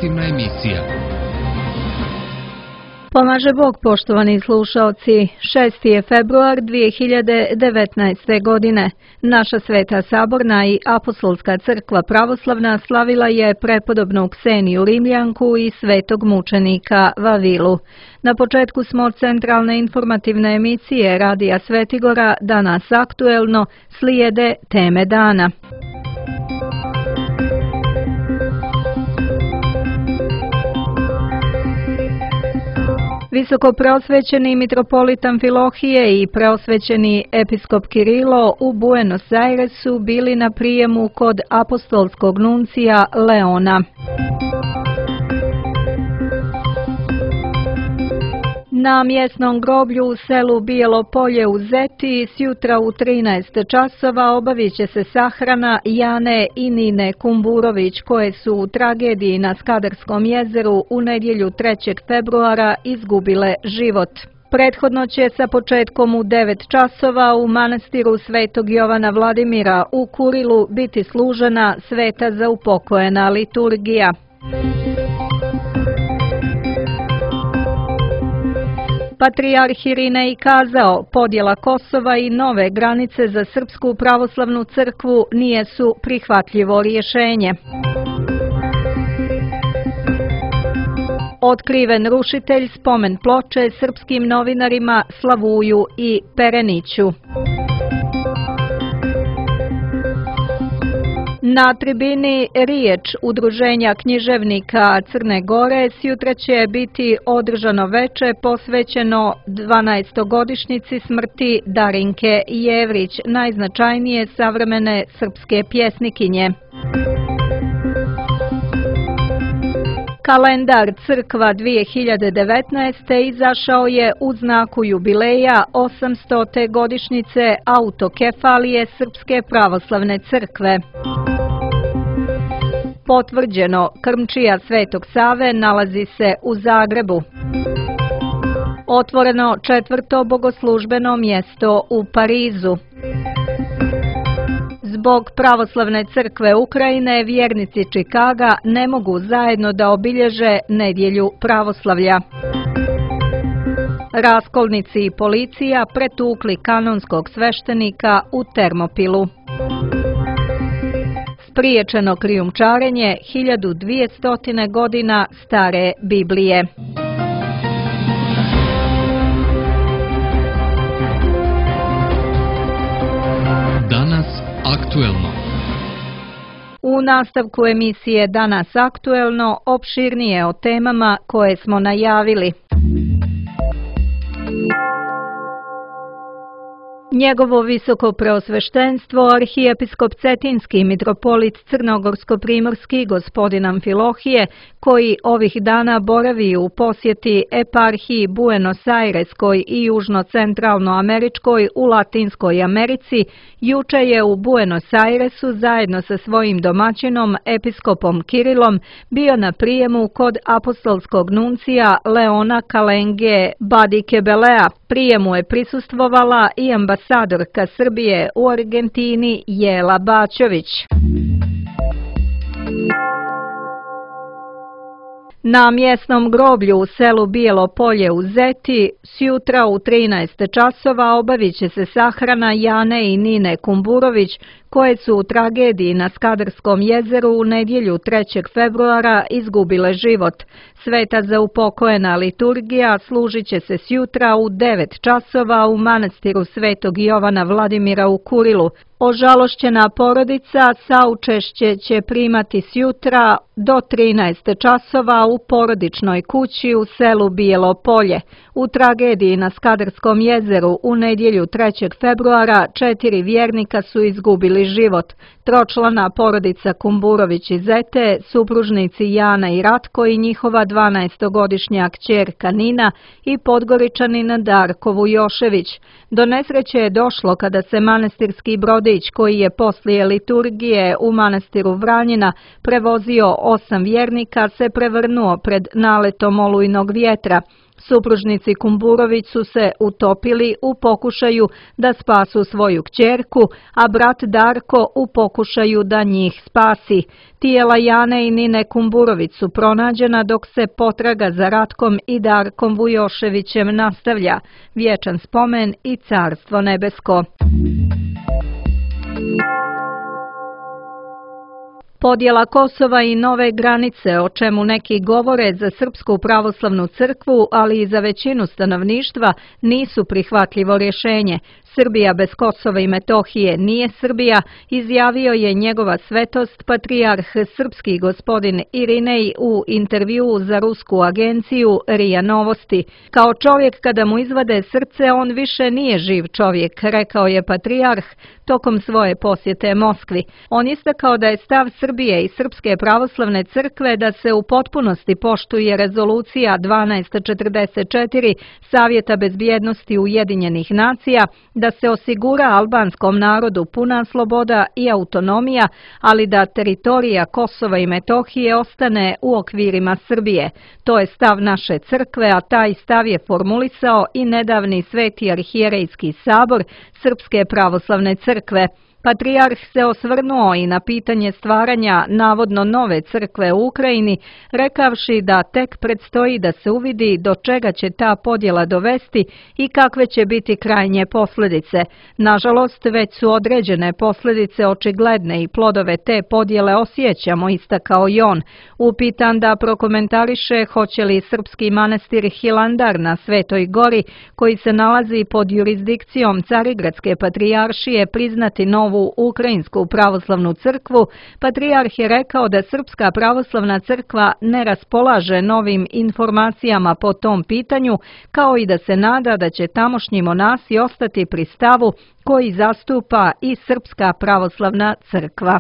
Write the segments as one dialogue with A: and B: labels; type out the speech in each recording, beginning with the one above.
A: informativna emisija.
B: Pomaže Bog, poštovani slušaoci. 6. je februar 2019. godine. Naša Sveta Saborna i Apostolska crkva pravoslavna slavila je prepodobnu Kseniju Rimljanku i svetog mučenika Vavilu. Na početku smo centralne informativne emisije Radija Svetigora, danas aktuelno, slijede teme dana. Visoko preosvećeni mitropolit Amfilohije i preosvećeni episkop Kirilo u Buenos Airesu bili na prijemu kod apostolskog nuncija Leona. Na mjesnom groblju u selu Bijelo Polje u Zeti sjutra u 13 časova obavit će se sahrana Jane i Nine Kumburović, koje su u tragediji na Skadarskom jezeru u nedjelju 3. februara izgubile život. Prethodno će sa početkom u 9 časova u manastiru Svetog Jovana Vladimira u Kurilu biti služena sveta za upokojena liturgija. Patrijarh Irinej kazao, podjela Kosova i nove granice za Srpsku pravoslavnu crkvu nije su prihvatljivo rješenje. Otkriven rušitelj spomen ploče srpskim novinarima Slavuju i Pereniću. Na tribini riječ Udruženja književnika Crne Gore sjutra će biti održano veče posvećeno 12-godišnjici smrti Darinke Jevrić, najznačajnije savremene srpske pjesnikinje. Kalendar Crkva 2019. izašao je u znaku jubileja 800. godišnjice autokefalije Srpske pravoslavne crkve. Potvrđeno, krmčija Svetog Save nalazi se u Zagrebu. Otvoreno 4. bogoslužbeno mjesto u Parizu. Zbog pravoslavne crkve Ukrajine vjernici Čikaga ne mogu zajedno da obilježe nedjelju pravoslavlja. Raskolnici i policija pretukli kanonskog sveštenika u Termopilu. Spriječeno krijumčarenje 1200 godina stare Biblije.
A: Danas aktuelno.
B: U nastavku emisije Danas aktuelno opširnije o temama koje smo najavili. Njegovo visoko preosveštenstvo, arhijepiskop Cetinski mitropolit Crnogorsko-primorski gospodin Amfilohije, koji ovih dana boravi u posjeti eparhiji Buenos Aireskoj i južno-centralnoameričkoj u Latinskoj Americi, juče je u Buenos Airesu zajedno sa svojim domaćinom episkopom Kirilom bio na prijemu kod apostolskog nuncija Leona Kalenge Badikebelea. Prijemu je prisustvovala i ambasadorka Srbije u Argentini Jela Bačović. Na mjesnom groblju u selu Bijelo Polje u Zeti sjutra u 13 časova obavit će se sahrana Jane i Nine Kumburović, koje su u tragediji na Skadarskom jezeru u nedjelju 3. februara izgubile život. Sveta za upokojena liturgija služit će se sjutra u 9 časova u manastiru Svetog Jovana Vladimira u Kurilu. Ožalošćena porodica saučešće će primati sjutra do 13 časova u porodičnoj kući u selu Bijelo Polje. U tragediji na Skadarskom jezeru u nedjelju 3. februara 4 vjernika su izgubili život. Tročlana porodica Kumburović iz Zete, supružnici Jana i Ratko i njihova 12-godišnja kćerka Nina i Podgoričanin Darko Vujošević. Do nesreće je došlo kada se manastirski brodić, koji je poslije liturgije u manastiru Vranjina prevozio 8 vjernika, se prevrnuo pred naletom olujnog vjetra. Supružnici Kumburović su se utopili u pokušaju da spasu svoju kćerku, a brat Darko u pokušaju da njih spasi. Tijela Jane i Nine Kumburović su pronađena dok se potraga za Ratkom i Darkom Vujoševićem nastavlja. Vječan spomen i carstvo nebesko. Podjela Kosova i nove granice, o čemu neki govore za Srpsku pravoslavnu crkvu, ali i za većinu stanovništva, nisu prihvatljivo rješenje. Srbija bez Kosova i Metohije nije Srbija, izjavio je njegova svetost patrijarh srpski gospodin Irinej u intervjuu za rusku agenciju RIA Novosti. Kao čovjek kada mu izvade srce, on više nije živ čovjek, rekao je patrijarh tokom svoje posjete Moskvi. On istakao da je stav Srbije i Srpske pravoslavne crkve da se u potpunosti poštuje rezolucija 1244 Savjeta bezbjednosti Ujedinjenih nacija, da se osigura albanskom narodu puna sloboda i autonomija, ali da teritorija Kosova i Metohije ostane u okvirima Srbije. To je stav naše crkve, a taj stav je formulisao i nedavni Sveti arhijerejski sabor Srpske pravoslavne crkve. Patrijarh se osvrnuo i na pitanje stvaranja navodno nove crkve u Ukrajini, rekavši da tek predstoji da se uvidi do čega će ta podjela dovesti i kakve će biti krajnje posljedice. Nažalost, već su određene posljedice očigledne i plodove te podjele osjećamo, istakao i on. Upitan da prokomentariše hoće li srpski manastir Hilandar na Svetoj gori, koji se nalazi pod jurisdikcijom Carigradske patrijaršije, priznati novu Ukrajinsku pravoslavnu crkvu, patrijarh je rekao da Srpska pravoslavna crkva ne raspolaže novim informacijama po tom pitanju, kao i da se nada da će tamošnji monasi ostati pri stavu koji zastupa i Srpska pravoslavna crkva.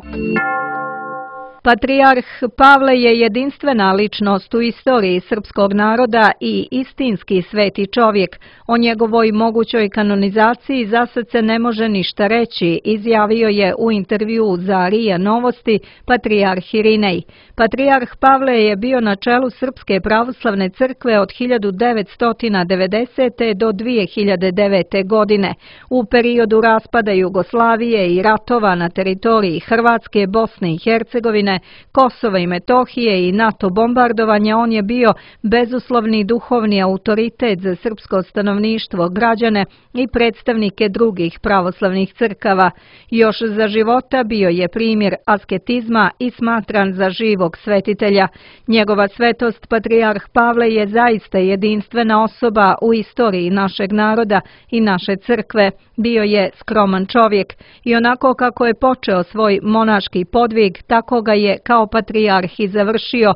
B: Patrijarh Pavle je jedinstvena ličnost u istoriji srpskog naroda i istinski sveti čovjek. O njegovoj mogućoj kanonizaciji zasad se ne može ništa reći, izjavio je u intervjuu za RIA Novosti patrijarh Irinej. Patrijarh Pavle je bio na čelu Srpske pravoslavne crkve od 1990. do 2009. godine. U periodu raspada Jugoslavije i ratova na teritoriji Hrvatske, Bosne i Hercegovine, Kosova i Metohije i NATO bombardovanja, on je bio bezuslovni duhovni autoritet za srpsko stanovništvo, građane i predstavnike drugih pravoslavnih crkava. Još za života bio je primjer asketizma i smatran za živog svetitelja. Njegova svetost patrijarh Pavle je zaista jedinstvena osoba u istoriji našeg naroda i naše crkve. Bio je skroman čovjek i onako kako je počeo svoj monaški podvig, tako ga je kao patrijarh i završio,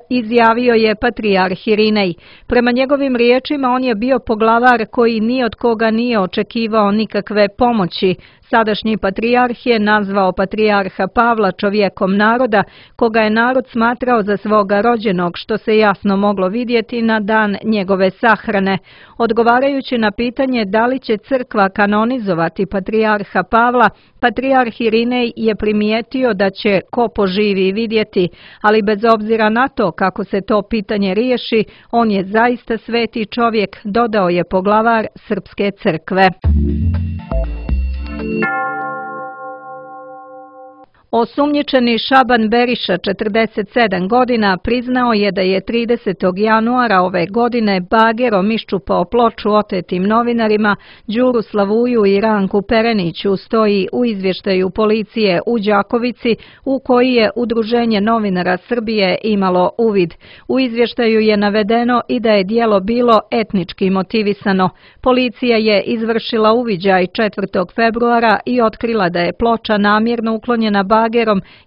B: izjavio je patrijarh Irinej. Prema njegovim riječima on je bio poglavar koji ni od koga nije očekivao nikakve pomoći. Sadašnji patrijarh je nazvao patrijarha Pavla čovjekom naroda, koga je narod smatrao za svoga rođenog, što se jasno moglo vidjeti na dan njegove sahrane. Odgovarajući na pitanje da li će crkva kanonizovati patrijarha Pavla, patrijarh Irinej je primijetio da će ko poživi vidjeti, ali bez obzira na to kako se to pitanje riješi, on je zaista sveti čovjek, dodao je poglavar Srpske crkve. Osumnjičeni Šaban Beriša, 47 godina, priznao je da je 30. januara ove godine bagerom iščupao ploču otetim novinarima Đuru Slavuju i Ranku Pereniću, stoji u izvještaju policije u Đakovici, u koji je Udruženje novinara Srbije imalo uvid. U izvještaju je navedeno i da je djelo bilo etnički motivisano. Policija je izvršila uviđaj 4. februara i otkrila da je ploča namjerno uklonjena bagerom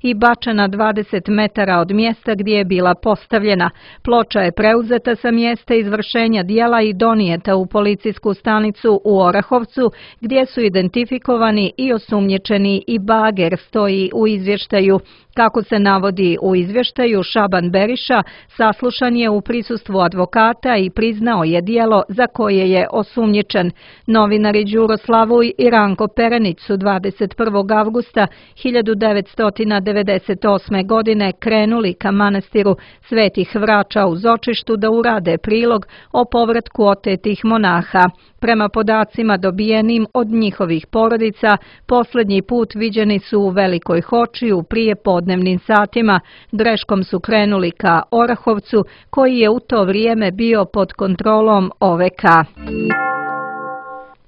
B: i bačena 20 metara od mjesta gdje je bila postavljena. Ploča je preuzeta sa mjesta izvršenja djela i donijeta u policijsku stanicu u Orahovcu, gdje su identifikovani i osumnjičeni i bager, stoji u izvještaju. Kako se navodi u izvještaju, Šaban Beriša saslušan je u prisustvu advokata i priznao je djelo za koje je osumnjičen. Novinari Đuro Slavuj i Ranko Perenić su 21. avgusta 1998. godine krenuli ka manastiru Svetih Vrača u Zočištu da urade prilog o povratku otetih monaha. Prema podacima dobijenim od njihovih porodica, posljednji put viđeni su u Velikoj Hoči u prije podnevnim satima. Greškom su krenuli ka Orahovcu, koji je u to vrijeme bio pod kontrolom OVK.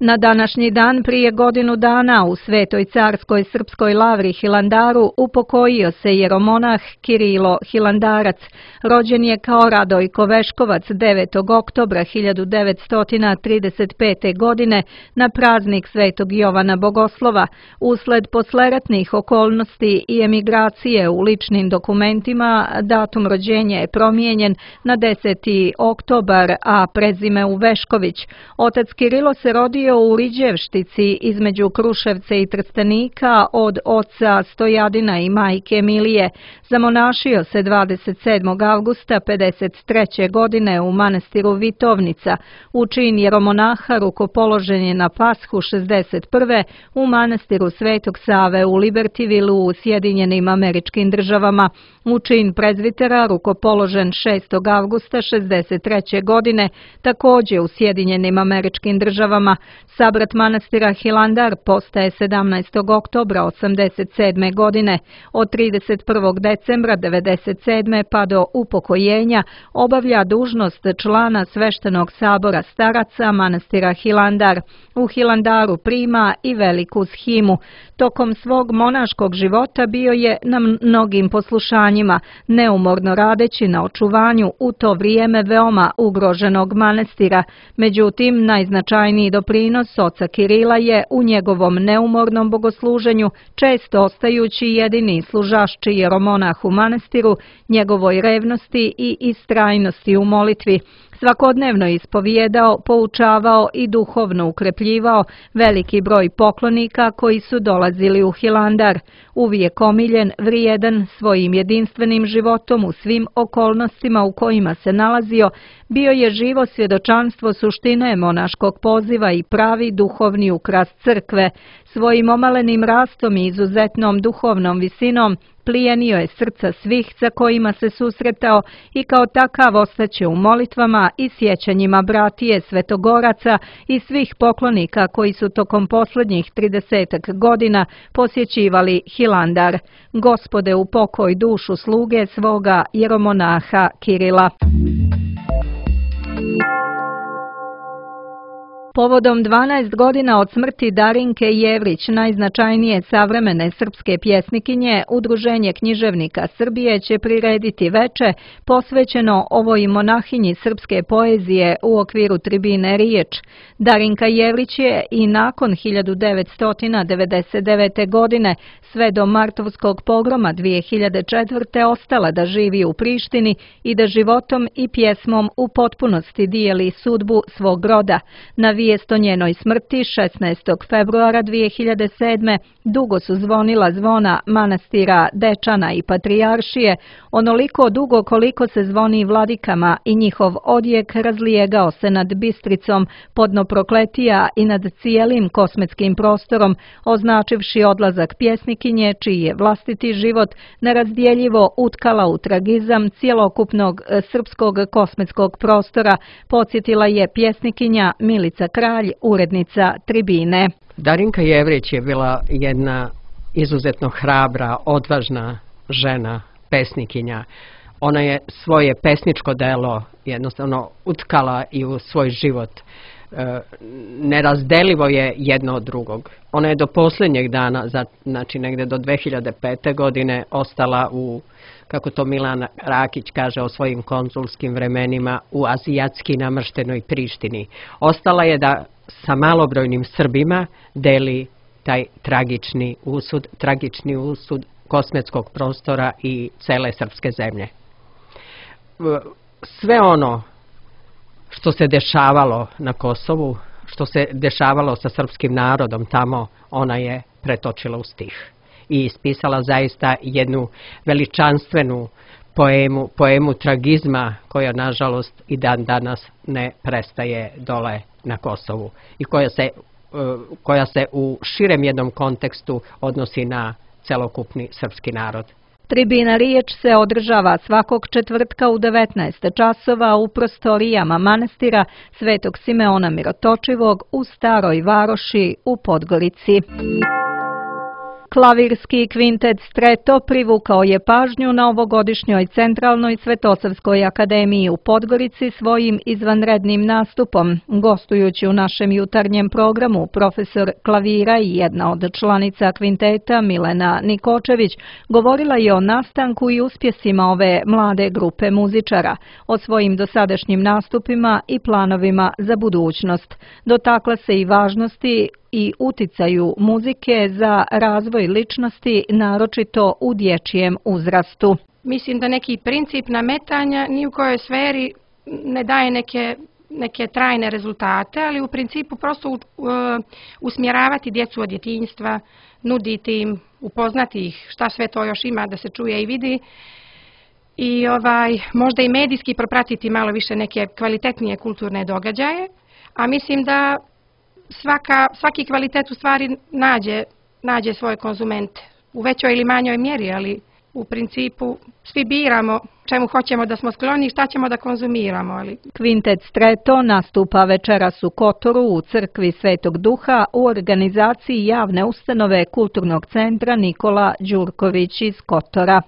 B: Na današnji dan prije godinu dana u Svetoj carskoj srpskoj lavri Hilandaru upokojio se jeromonah Kirilo Hilandarac. Rođen je kao Radojko Veškovac 9. oktobra 1935. godine na praznik Svetog Jovana Bogoslova. Usled posleratnih okolnosti i emigracije u ličnim dokumentima datum rođenja je promijenjen na 10. oktobar, a prezime u Vešković. Otac Kirilo se rodio u Riđevštici između Kruševca i Trstenika od oca Stojadina i majke Milije. Zamonašio se 27. avgusta 1953. godine u manastiru Vitovnica. U čin jeromonaha rukopoložen je na Pashu 1961. u manastiru Svetog Save u Libertyvillu u Sjedinjenim Američkim Državama. U čin prezvitera rukopoložen 6. avgusta 1963. godine također u Sjedinjenim Američkim Državama. Sabrat manastira Hilandar postaje 17. oktobra 1987. godine. Od 31. decembra 1997. pa do upokojenja obavlja dužnost člana sveštenog sabora staraca manastira Hilandar. U Hilandaru prima i veliku shimu. Tokom svog monaškog života bio je na mnogim poslušanjima, neumorno radeći na očuvanju u to vrijeme veoma ugroženog manastira. Međutim, najznačajniji doprinos oca Kirila je u njegovom neumornom bogosluženju, često ostajući jedini služašći jeromonah u manastiru, njegovoj revnosti i istrajnosti u molitvi. Svakodnevno ispovijedao, poučavao i duhovno ukrepljivao veliki broj poklonika koji su dolazili u Hilandar. Uvijek omiljen, vrijedan, svojim jedinstvenim životom u svim okolnostima u kojima se nalazio, bio je živo svjedočanstvo suštine monaškog poziva i pravi duhovni ukras crkve. Svojim omalenim rastom i izuzetnom duhovnom visinom plijenio je srca svih sa kojima se susretao i kao takav ostaće u molitvama i sjećanjima bratije svetogoraca i svih poklonika koji su tokom posljednjih 30 godina posjećivali Hilandar. Gospode, upokoj dušu sluge svoga jeromonaha Kirila. Povodom 12 godina od smrti Darinke Jevrić, najznačajnije savremene srpske pjesnikinje, Udruženje književnika Srbije će prirediti veče posvećeno ovoj monahinji srpske poezije u okviru tribine Riječ. Darinka Jevrić je i nakon 1999. godine sve do martovskog pogroma 2004. ostala da živi u Prištini i da životom i pjesmom u potpunosti dijeli sudbu svog roda. Na vijest o njenoj smrti 16. februara 2007. dugo su zvonila zvona manastira Dečana i Patrijaršije, onoliko dugo koliko se zvoni vladikama i njihov odjek razlijegao se nad Bistricom, podno prokletija i nad cijelim kosmetskim prostorom, označivši odlazak pjesnikinje čiji je vlastiti život nerazdjeljivo utkala u tragizam cjelokupnog srpskog kosmetskog prostora, podsjetila je pjesnikinja Milica Kralj, urednica Tribine.
C: Darinka Jevrić je bila jedna izuzetno hrabra, odvažna žena, pesnikinja. Ona je svoje pesničko delo jednostavno utkala i u svoj život. Nerazdelivo je jedno od drugog. Ona je do posljednjeg dana, znači negdje do 2005. godine, ostala u, kako to Milan Rakić kaže o svojim konzulskim vremenima, u azijatski namrštenoj Prištini. Ostala je da sa malobrojnim Srbima deli taj tragični usud kosmetskog prostora i cele srpske zemlje. Sve ono što se dešavalo na Kosovu, što se dešavalo sa srpskim narodom tamo, ona je pretočila u stih i ispisala zaista jednu veličanstvenu poemu tragizma koja nažalost i dan danas ne prestaje dole na Kosovu i koja se u širem jednom kontekstu odnosi na celokupni srpski narod.
B: Tribina Riječ se održava svakog četvrtka u 19 časova u prostorijama manastira Svetog Simeona Mirotočivog u Staroj Varoši u Podgorici. Klavirski kvintet Streto privukao je pažnju na ovogodišnjoj Centralnoj Svetosavskoj akademiji u Podgorici svojim izvanrednim nastupom. Gostujući u našem jutarnjem programu, profesor klavira i jedna od članica kvinteta Milena Nikočević govorila je o nastanku i uspjesima ove mlade grupe muzičara, o svojim dosadašnjim nastupima i planovima za budućnost. Dotakla se i važnosti i uticaju muzike za razvoj ličnosti, naročito u dječjem uzrastu.
D: Mislim da neki princip nametanja ni u kojoj sferi ne daje neke trajne rezultate, ali u principu prosto usmjeravati djecu od djetinjstva, nuditi im, upoznati ih šta sve to još ima da se čuje i vidi i možda i medijski propratiti malo više neke kvalitetnije kulturne događaje, a mislim da svaki kvalitet u stvari nađe svoje konzumente u većoj ili manjoj mjeri, ali u principu svi biramo čemu hoćemo da smo skloni i šta ćemo da konzumiramo.
B: Kvintet Streto nastupa večeras u Kotoru u crkvi Svetog Duha u organizaciji javne ustanove Kulturnog centra Nikola Đurković iz Kotora.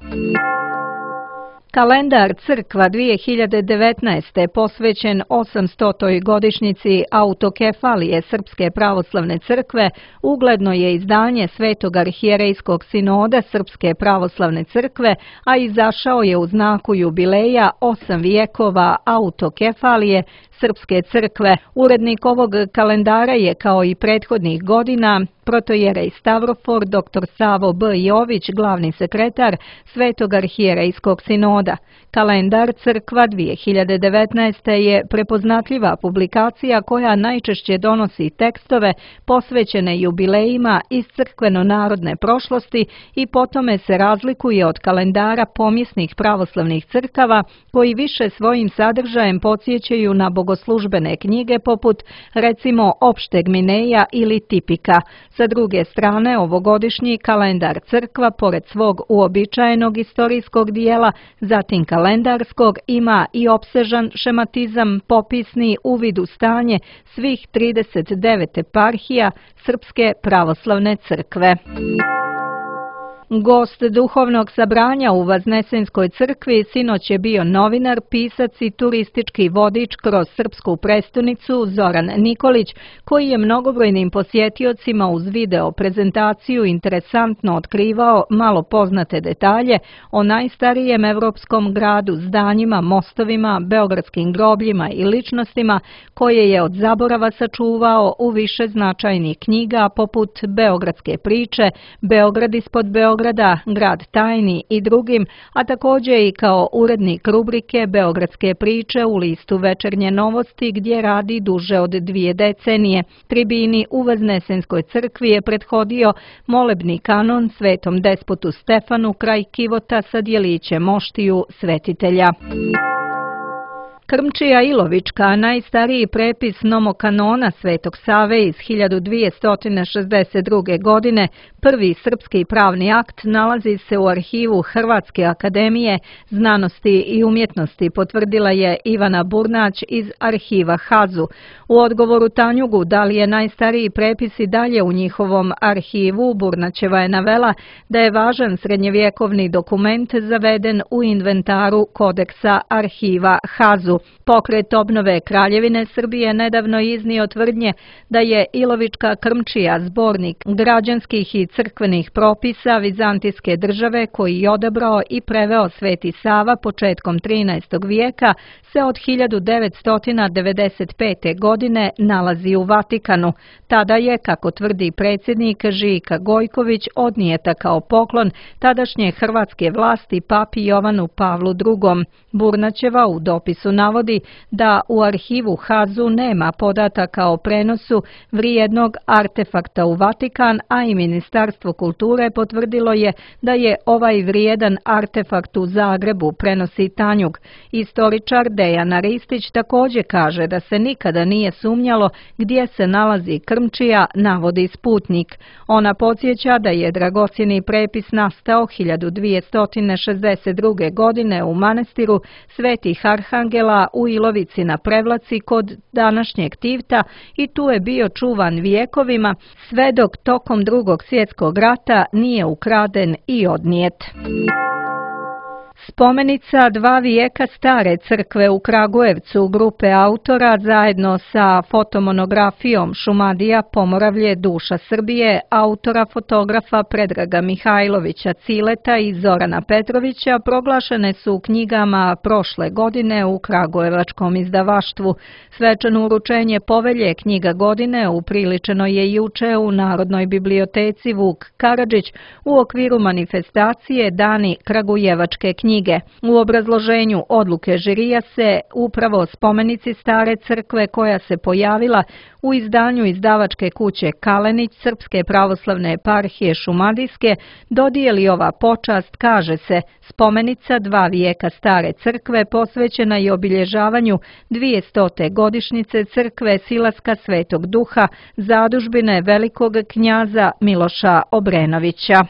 B: Kalendar Crkva 2019. posvećen 800. godišnjici autokefalije Srpske pravoslavne crkve ugledno je izdanje Svetog arhijerejskog sinoda Srpske pravoslavne crkve, a izašao je u znaku jubileja 8 vijekova autokefalije Srpske crkve. Urednik ovog kalendara je, kao i prethodnih godina, protojerej Stavrofor dr. Savo B. Jović, glavni sekretar Svetog arhijerejskog sinoda. Kalendar Crkva 2019. je prepoznatljiva publikacija koja najčešće donosi tekstove posvećene jubilejima iz crkveno-narodne prošlosti i po tome se razlikuje od kalendara pomjesnih pravoslavnih crkava koji više svojim sadržajem podsjećaju na bogoslužbene knjige poput recimo Opšteg Mineja ili Tipika. Sa druge strane, ovogodišnji kalendar Crkva, pored svog uobičajenog istorijskog dijela, zatim kalendarskog, ima i opsežan šematizam, popisni uvid u stanje svih 39 eparhija Srpske pravoslavne crkve. Gost duhovnog sabranja u Vaznesenskoj crkvi sinoć je bio novinar, pisac i turistički vodič kroz srpsku prestonicu Zoran Nikolić, koji je mnogobrojnim posjetiocima uz video prezentaciju interesantno otkrivao malo poznate detalje o najstarijem evropskom gradu, zdanjima, mostovima, beogradskim grobljima i ličnostima koje je od zaborava sačuvao u više značajnih knjiga poput Beogradske priče, Beograd ispod Beograda, Grad tajni i drugim, a također i kao urednik rubrike Beogradske priče u listu Večernje novosti gdje radi duže od 2 decenije. Tribini u Vaznesenskoj crkvi je prethodio molebni kanon Svetom despotu Stefanu kraj kivota sa djelićem moštiju svetitelja. Krmčija Ilovička, najstariji prepis nomokanona Svetog Save iz 1262. godine, prvi srpski pravni akt, nalazi se u arhivu Hrvatske akademije znanosti i umjetnosti, potvrdila je Ivana Burnać iz arhiva HAZU. U odgovoru Tanjugu da li je najstariji prepis i dalje u njihovom arhivu, Burnaćeva je navela da je važan srednjevjekovni dokument zaveden u inventaru kodeksa arhiva HAZU. Pokret obnove Kraljevine Srbije nedavno iznio tvrdnje da je Ilovička Krmčija zbornik građanskih i crkvenih propisa Vizantijske države koji je odabrao i preveo Sveti Sava početkom 13. vijeka se od 1995. godine nalazi u Vatikanu. Tada je, kako tvrdi predsjednik Žika Gojković, odnijeta kao poklon tadašnje hrvatske vlasti papi Jovanu Pavlu II. Burnaćeva u dopisu navodi navodi da u arhivu HAZU nema podataka o prenosu vrijednog artefakta u Vatikan, a i Ministarstvo kulture potvrdilo je da je ovaj vrijedan artefakt u Zagrebu, prenosi Tanjug. Istoričar Dejana Ristić također kaže da se nikada nije sumnjalo gdje se nalazi krmčija, navodi Sputnik. Ona podsjeća da je dragocjeni prepis nastao 1262. godine u manastiru Svetih Arhangela u Ilovici na Prevlaci kod današnjeg Tivta i tu je bio čuvan vijekovima sve dok tokom Drugog svjetskog rata nije ukraden i odnijet. Spomenica 2 vijeka stare crkve u Kragujevcu grupe autora zajedno sa fotomonografijom Šumadija, Pomoravlje, duša Srbije, autora fotografa Predraga Mihajlovića Cileta i Zorana Petrovića proglašene su u knjigama prošle godine u Kragujevačkom izdavaštvu. Svečano uručenje povelje knjiga godine upriličeno je juče u Narodnoj biblioteci Vuk Karadžić u okviru manifestacije Dani Kragujevačke knjige. U obrazloženju odluke žirija se upravo spomenici stare crkve koja se pojavila u izdanju izdavačke kuće Kalenić Srpske pravoslavne eparhije Šumadijske dodijeli ova počast, kaže se, spomenica 2 vijeka stare crkve posvećena i obilježavanju 200. godišnjice crkve Silaska Svetog Duha, zadužbine velikog knjaza Miloša Obrenovića.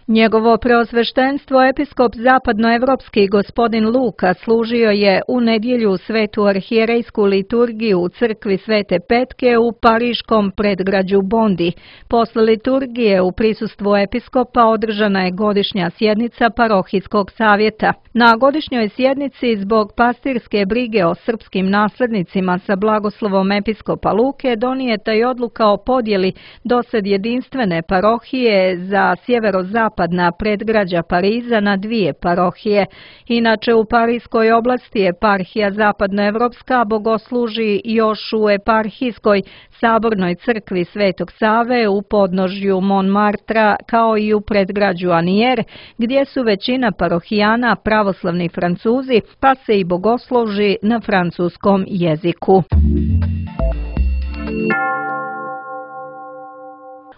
B: Njegovo preosveštenstvo episkop zapadnoevropski gospodin Luka služio je u nedjelju svetu arhijerejsku liturgiju u crkvi Svete Petke u pariškom predgrađu Bondi. Posle liturgije u prisustvu episkopa održana je godišnja sjednica parohijskog savjeta. Na godišnjoj sjednici zbog pastirske brige o srpskim naslednicima sa blagoslovom episkopa Luke donijeta je odluka o podjeli dosad jedinstvene parohije za sjeverozapadna predgrađa Pariza na 2 parohije. Inače u Parijskoj oblasti eparhija zapadnoevropska bogosluži još u eparhijskoj sabornoj crkvi Svetog Save u podnožju Montmartra kao i u predgrađu Anier, gdje su većina parohijana pravoslavni Francuzi, pa se i bogosluži na francuskom jeziku.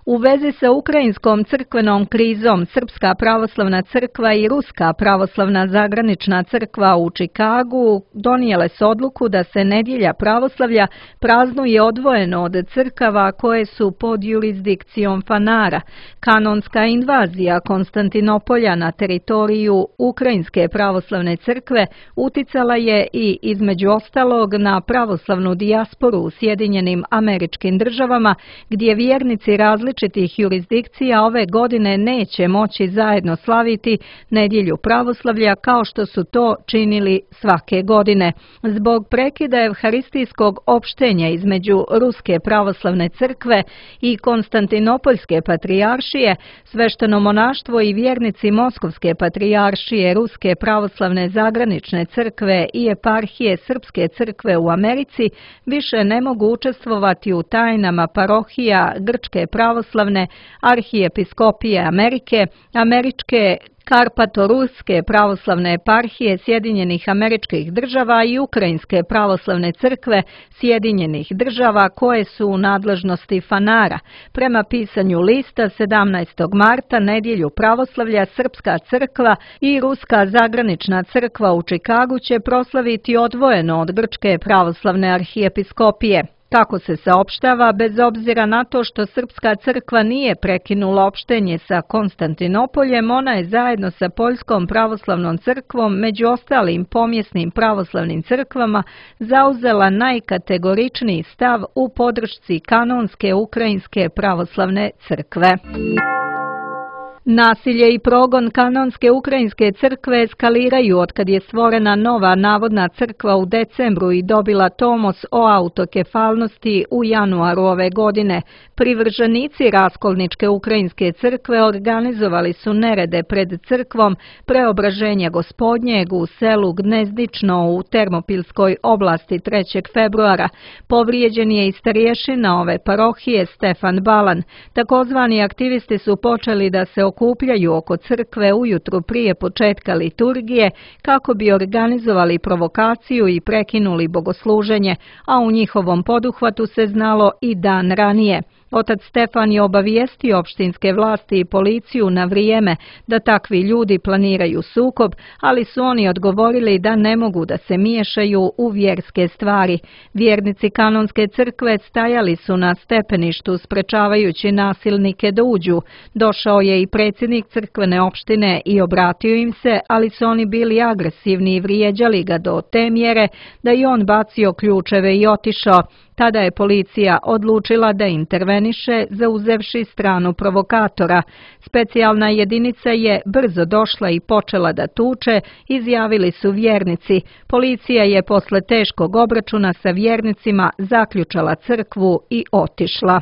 B: U vezi sa ukrajinskom crkvenom krizom, Srpska pravoslavna crkva i Ruska pravoslavna zagranična crkva u Čikagu donijele su odluku da se nedjelja pravoslavlja praznuje odvojeno od crkava koje su pod jurisdikcijom Fanara. Kanonska invazija Konstantinopolja na teritoriju Ukrajinske pravoslavne crkve uticala je i između ostalog na pravoslavnu dijasporu u Sjedinjenim Američkim Državama, gdje vjernici različitih jurisdikcija ove godine neće moći zajedno slaviti nedjelju pravoslavlja kao što su to činili svake godine. Zbog prekida evharistijskog opštenja između Ruske pravoslavne crkve i Konstantinopoljske patrijaršije, svešteno monaštvo i vjernici Moskovske patrijaršije, Ruske pravoslavne zagranične crkve i eparhije Srpske crkve u Americi više ne mogu učestvovati u tajnama parohija Grčke pravoslavne arhijepiskopije Amerike, Američke Karpato-Ruske pravoslavne eparhije Sjedinjenih Američkih Država i Ukrajinske pravoslavne crkve Sjedinjenih Država koje su u nadležnosti Fanara. Prema pisanju lista 17. marta nedjelju pravoslavlja Srpska crkva i Ruska zagranična crkva u Čikagu će proslaviti odvojeno od Grčke pravoslavne arhijepiskopije. Kako se saopštava, bez obzira na to što Srpska crkva nije prekinula opštenje sa Konstantinopoljem, ona je zajedno sa Poljskom pravoslavnom crkvom, među ostalim pomjesnim pravoslavnim crkvama, zauzela najkategoričniji stav u podršci kanonske Ukrajinske pravoslavne crkve. Nasilje i progon kanonske Ukrajinske crkve eskaliraju otkad je stvorena nova navodna crkva u decembru i dobila tomos o autokefalnosti u januaru ove godine. Privrženici raskolničke Ukrajinske crkve organizovali su nerede pred crkvom Preobraženja Gospodnjeg u selu Gnezdično u Termopilskoj oblasti 3. februara. Povrijeđen je i starješina ove parohije Stefan Balan. Takozvani aktivisti su počeli da se okupljaju oko crkve ujutru prije početka liturgije kako bi organizovali provokaciju i prekinuli bogosluženje, a u njihovom poduhvatu se znalo i dan ranije. Otac Stefan je obavijestio opštinske vlasti i policiju na vrijeme da takvi ljudi planiraju sukob, ali su oni odgovorili da ne mogu da se miješaju u vjerske stvari. Vjernici kanonske crkve stajali su na stepeništu sprečavajući nasilnike da uđu. Došao je i predsjednik crkvene opštine i obratio im se, ali su oni bili agresivni i vrijeđali ga do te mjere da je on bacio ključeve i otišao. Tada je policija odlučila da interveniše zauzevši stranu provokatora. Specijalna jedinica je brzo došla i počela da tuče, izjavili su vjernici. Policija je posle teškog obračuna sa vjernicima zaključala crkvu i otišla.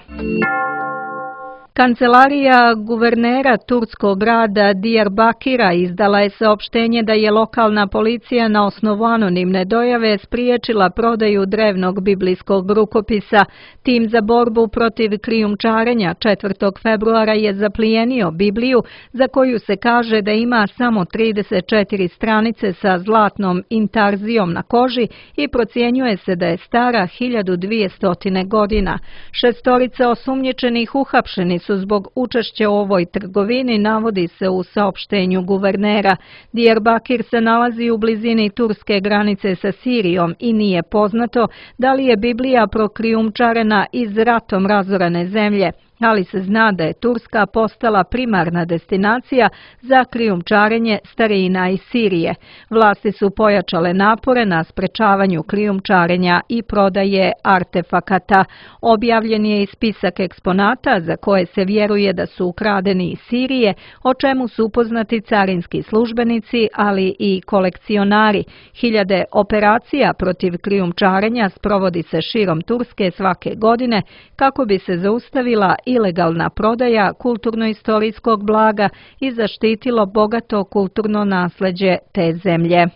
B: Kancelarija guvernera turskog grada Diyarbakira izdala je saopštenje da je lokalna policija na osnovu anonimne dojave spriječila prodaju drevnog biblijskog rukopisa. Tim za borbu protiv krijumčarenja 4. februara je zaplijenio Bibliju, za koju se kaže da ima samo 34 stranice sa zlatnom intarzijom na koži i procjenjuje se da je stara 1200 godina. 6 osumnjičenih uhapšeni su zbog učešća u ovoj trgovini, navodi se u saopštenju guvernera. Diyarbakir se nalazi u blizini turske granice sa Sirijom i nije poznato da li je Biblija prokrijumčarena iz ratom razorane zemlje, ali se zna da je Turska postala primarna destinacija za krijumčarenje starina iz Sirije. Vlasti su pojačale napore na sprečavanju krijumčarenja i prodaje artefakata. Objavljen je i spisak eksponata za koje se vjeruje da su ukradeni iz Sirije, o čemu su upoznati carinski službenici, ali i kolekcionari. Hiljade operacija protiv krijumčarenja sprovodi se širom Turske svake godine kako bi se zaustavila ilegalna prodaja kulturno-istorijskog blaga i zaštitilo bogato kulturno nasleđe te zemlje.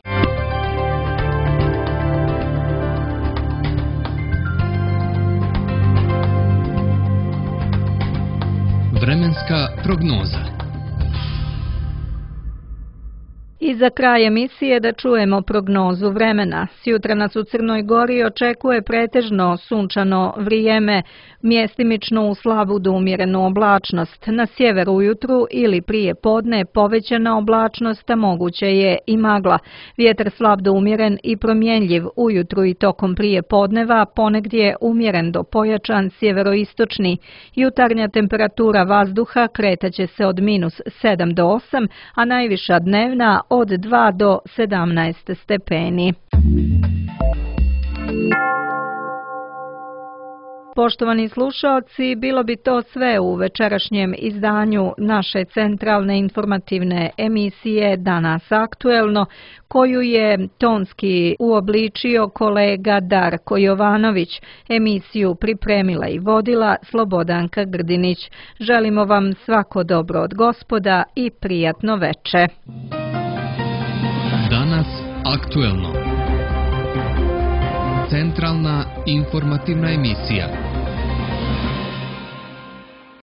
A: Vremenska prognoza.
B: I za kraj emisije da čujemo prognozu vremena. Sjutra nas u Crnoj Gori očekuje pretežno sunčano vrijeme, mjestimično u slabu do umjerenu oblačnost. Na sjeveru ujutru ili prije podne povećana oblačnost, a moguće je i magla. Vjetar slab do umjeren i promjenljiv ujutru i tokom prije podneva, ponegdje umjeren do pojačan sjeveroistočni. Jutarnja temperatura vazduha kretaće se od -7 do 8, a najviša dnevna od 2 do 17 stepeni. Poštovani slušaoci, bilo bi to sve u večerašnjem izdanju naše centralne informativne emisije Danas aktuelno, koju je tonski uobličio kolega Darko Jovanović. Emisiju pripremila i vodila Slobodanka Grdinić. Želimo vam svako dobro od Gospoda i prijatno veče.
A: Danas aktuelno. Centralna informativna emisija.